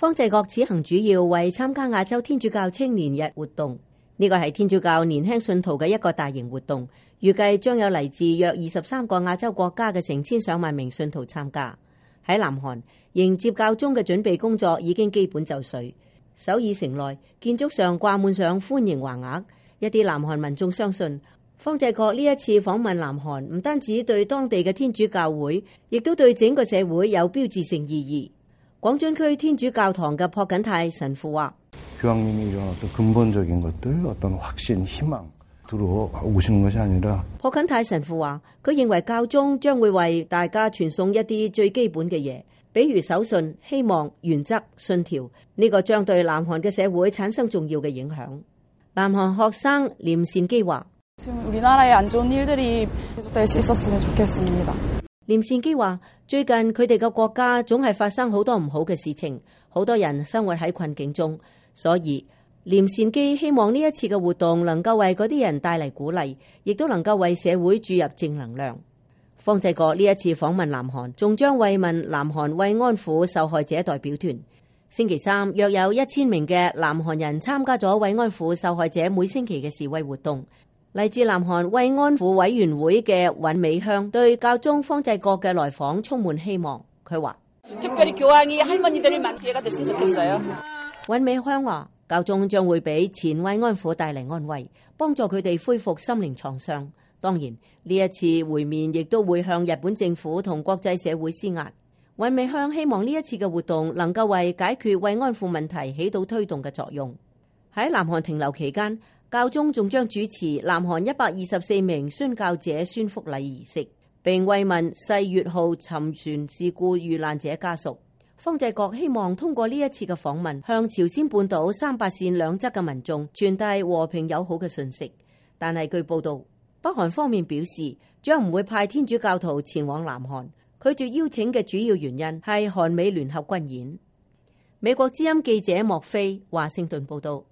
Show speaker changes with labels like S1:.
S1: 方濟各此行主要為參加亞洲天主教青年日活動，呢個係天主教年輕信徒嘅一個大型活動，預計將有嚟自約23個亞洲國家嘅成千上萬名信徒參加。喺南韓，迎接教宗嘅準備工作已經基本就緒。首爾城內建築上掛滿上歡迎橫額，一啲南韓民眾相信方濟各呢一次訪問南韓，唔單止對當地嘅天主教會，亦都對整個社會有標誌性意義。廣津區天主教堂嘅朴槿泰神父話：朴槿泰神父話，佢認為教宗將會為大家傳送一啲最基本嘅嘢，比如守信、希望、原則、信條，呢個將對南韓嘅社會產生重要嘅影響。南韓學生廉善基話：廉善基話，最近佢哋嘅國家總係發生好多唔好嘅事情，好多人生活喺困境中，所以廉善基希望呢一次嘅活動能夠為嗰啲人帶嚟鼓勵，亦都能夠為社會注入正能量。方濟各呢一次訪問南韓，仲將慰問南韓慰安婦受害者代表團。星期三，約有1000名嘅南韓人參加咗慰安婦受害者每星期嘅示威活動。嚟自南韓慰安婦委員會嘅尹美香對教宗方濟各嘅來訪充滿希望。佢話：尹美香話，教宗將會俾前慰安婦帶嚟安慰，幫助佢哋恢復心靈創傷。當然，呢一次會面亦都會向日本政府同國際社會施壓。尹美香希望呢一次嘅活動能夠為解決慰安婦問題起到推動嘅作用。喺南韓停留期間，教宗仲將主持南韓124名宣教者宣福禮儀式，並慰問世越號沉船事故遇難者家屬。方濟各希望通過呢一次嘅訪問，向朝鮮半島3八線兩側嘅民眾傳遞和平友好嘅訊息。但係據報道，北韓方面表示將唔會派天主教徒前往南韓，拒絕邀請嘅主要原因係韓美聯合軍演。美國之音記者莫菲華盛頓報道。